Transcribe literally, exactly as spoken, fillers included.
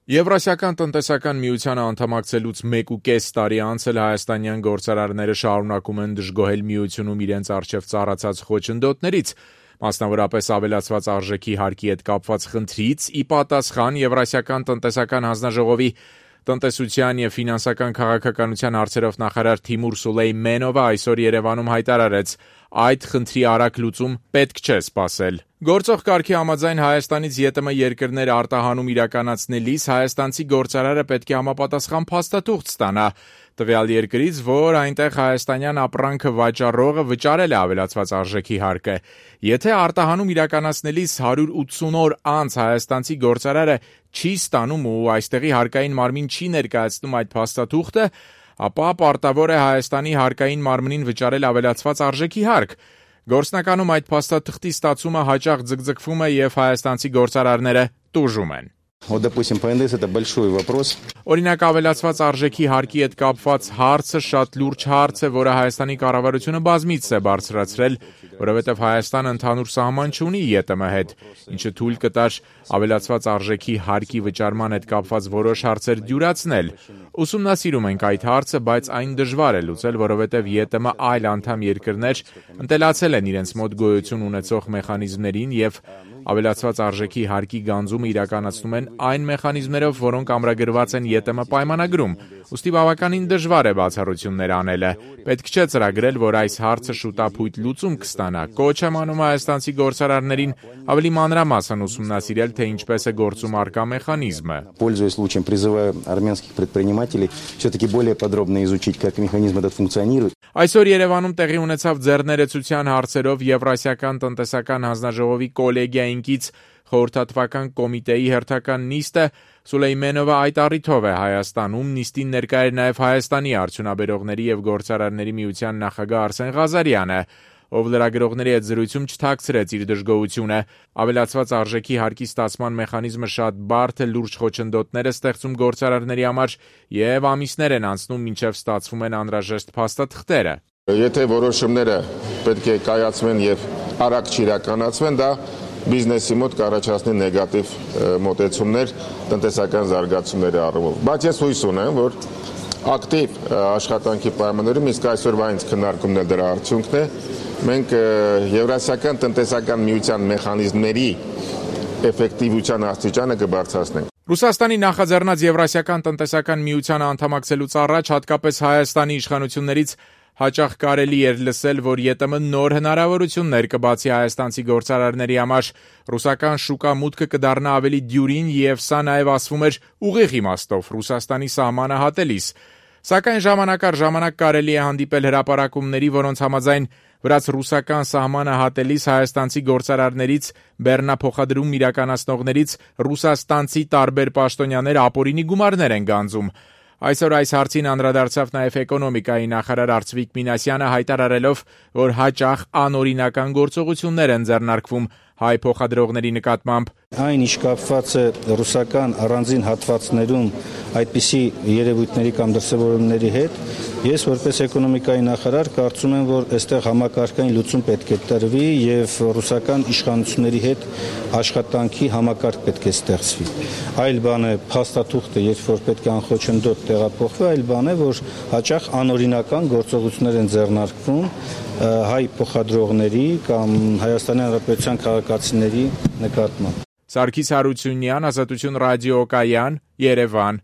Եվրասիական տնտեսական միությանը անդամակցելուց մեկ ու կես տարի անց էլ հայաստանյան գործարարները շարունակում են դժգոհել միությունում իրենց առջև ծառացած խոչընդոտներից, մասնավորապես ավելացված արժեքի հարկի հետ կապված խնդրից, ի պատասխան Եվրասիական տնտեսական հանձնաժողովի տնտեսության և ֆինանսական քաղաքականության հարցերով նախարար Թիմուր Սուլեյմենովը այսօր Երևանում հայտարարեց, այդ խնդրի արագ լուծում պետք չէ սպասել։ Գործող կարգի համաձայն Հայաստանից ԵՏՄ երկրներ արտահանում իրականացնելիս հայաստանցի գործարարը պետք է համապատասխան փաստաթուղթ ստանա տվյալ երկրից, որ այնտեղ հայաստանյան ապրանքը վաճառողը վճարել է ավելացված արժեքի հարկը։ Եթե արտահանում իրականացնելիս հարյուր ութսուն օր անց հայաստանցի գործարարը չի ստանում ու այստեղի հարկային մարմին չի ներկայացնում այդ փաստաթուղթը, ապա պարտավոր է Հայաստանի հարկային մարմնին վճարել ավելացված արժեքի հարկ։ Գործնականում այդ փաստաթղթի ստացումը հաճախ ձգձգվում է և հայաստանցի գործարարները տուժում են։ Օրինակ, ավելացված արժեքի հարկի հետ կապված հարցը շատ լուրջ հարց է, որը Հայաստանի կառավարությունը բազմիցս է բարձրացրել, որովհետև Հայաստանը ընդհանուր սահման չունի ԵՏՄ հետ, ինչը թույլ կտար ավելացված արժեքի հարկի վճարման հետ կապված որոշ հարցեր դյուրացնել։ Ուսումնասիրում ենք այդ հարցը, բայց այն դժվար է լուծել, որովհետև ԵՏՄ այլ անդամ երկրներ ընտելացել են իրենց մոտ գոյություն ունեցող մեխանիզմներին և ավելացված արժեքի հարկի գանձումը իրականացնում են այն մեխանիզմներով, որոնք ամրագրված են ԵՏՄ պայմանագրում, ուստի բավականին դժվար է բացառություններ անելը։ Պետք չէ ծրագրել, որ այս հարցը շուտափույթ լուծում կստանա։ Կոչ եմ անում հայաստանցի գործարարներին ավելի մանրամասն ուսումնասիրել, թե ինչպես է գործում առկա մեխանիզմը։ Пользуясь случаем, призываю армянских предпринимателей все-таки более подробно изучить, как механизм этот функционирует. Այսօր Երևանում տեղի ունեցավ ձեռներեցության հարցերով Եվրասիական տնտեսական հանձնաժողովի կոլեգիայինքից խորհրդատվական կոմիտեի հերթական նիստը Սուլեյմենովը այդ առիթով է Հայաստանում, նիստին ներկա էր նաև Հայաստանի արդյունաբերողների և գործարարների միության նախագահ Արսեն Ղազարյանը, ով լրագրողների հետ զրույցում չթաքցրեց իր դժգոհությունը։ Ավելացված արժեքի հարկի ստացման մեխանիզմը շատ բարդ է, լուրջ խոչընդոտներ է ստեղծում գործարարների համար և ամիսներ են անցնում, մինչև ստացվում են անհրաժեշտ փաստաթղթերը։ Եթե որոշումները պետք է կայացվեն և արագ չիրականացվեն, դա բիզնեսի մոտ կառաջացնի նեգատիվ մոտեցումներ տնտեսական զարգացումների առումով։ Բայց ես հույս ունեմ, որ ակտիվ աշխատանքի պայմաններում, իսկ այսօրվա ինձ քննարկումն էլ դրա արդյունքն է, մենք Եվրասիական տնտեսական միության մեխանիզմների էֆեկտիվության աստիճանը կբարձրացնենք։ Ռուսաստանի նախաձեռնած Եվրասիական տնտեսական միությանը անդամակցելուց առաջ հատկապես Հայաստանի իշխանություններից հաճախ կարելի էր լսել, որ ԵՏՄ նոր հնարավորություններ կբացի հայաստանցի գործարարների համար, ռուսական շուկա մուտքը կդառնա ավելի դյուրին և սա նաև ասվում էր ուղիղ իմաստով Ռուսաստանի սահմանը հատելիս։ Սակայն ժամանակ առ ժամանակ կարելի է հանդիպել հրապարակումների, որոնց համաձայն վրաց-ռուսական սահմանը հատելիս հայաստանցի գործարարներից, բեռնափոխադրում իրականացնողներից ռուսաստանցի տարբեր պաշտոնյաներ ապօրինի գումարներ են գանձում։ Այսօր այս հարցին անդրադարձավ նաև էկոնոմիկայի նախարար Արծվիկ Մինասյանը հայտարարելով, որ հաճախ անօրինական գործողություններ են ձեռնարկվում հայ փոխադրողների նկատմամբ։ Այն ինչ կապված է ռուսական առանձին հատվածներում այդպիսի երևույթների կամ դրսևորումների հետ, ես որպես էկոնոմիկայի նախարար կարծում եմ, որ այստեղ համակարգային լուծում պետք է տրվի եւ ռուսական իշխանությունների հետ աշխատանքի համակարգ պետք է ստեղծվի։ Այլ բան է փաստաթուղթը, երբ որ պետք է անխոչնդոտ տեղափոխվի, այլ բան է, որ հաճախ անօրինական գործողություններ են ձեռնարկվում հայ փոխադրողների կամ Հայաստանի Հանրապետության քաղաքացիների նկատմամբ։ Սարգիս Հարությունյան, Ազատություն ռադիոկայան, Երևան։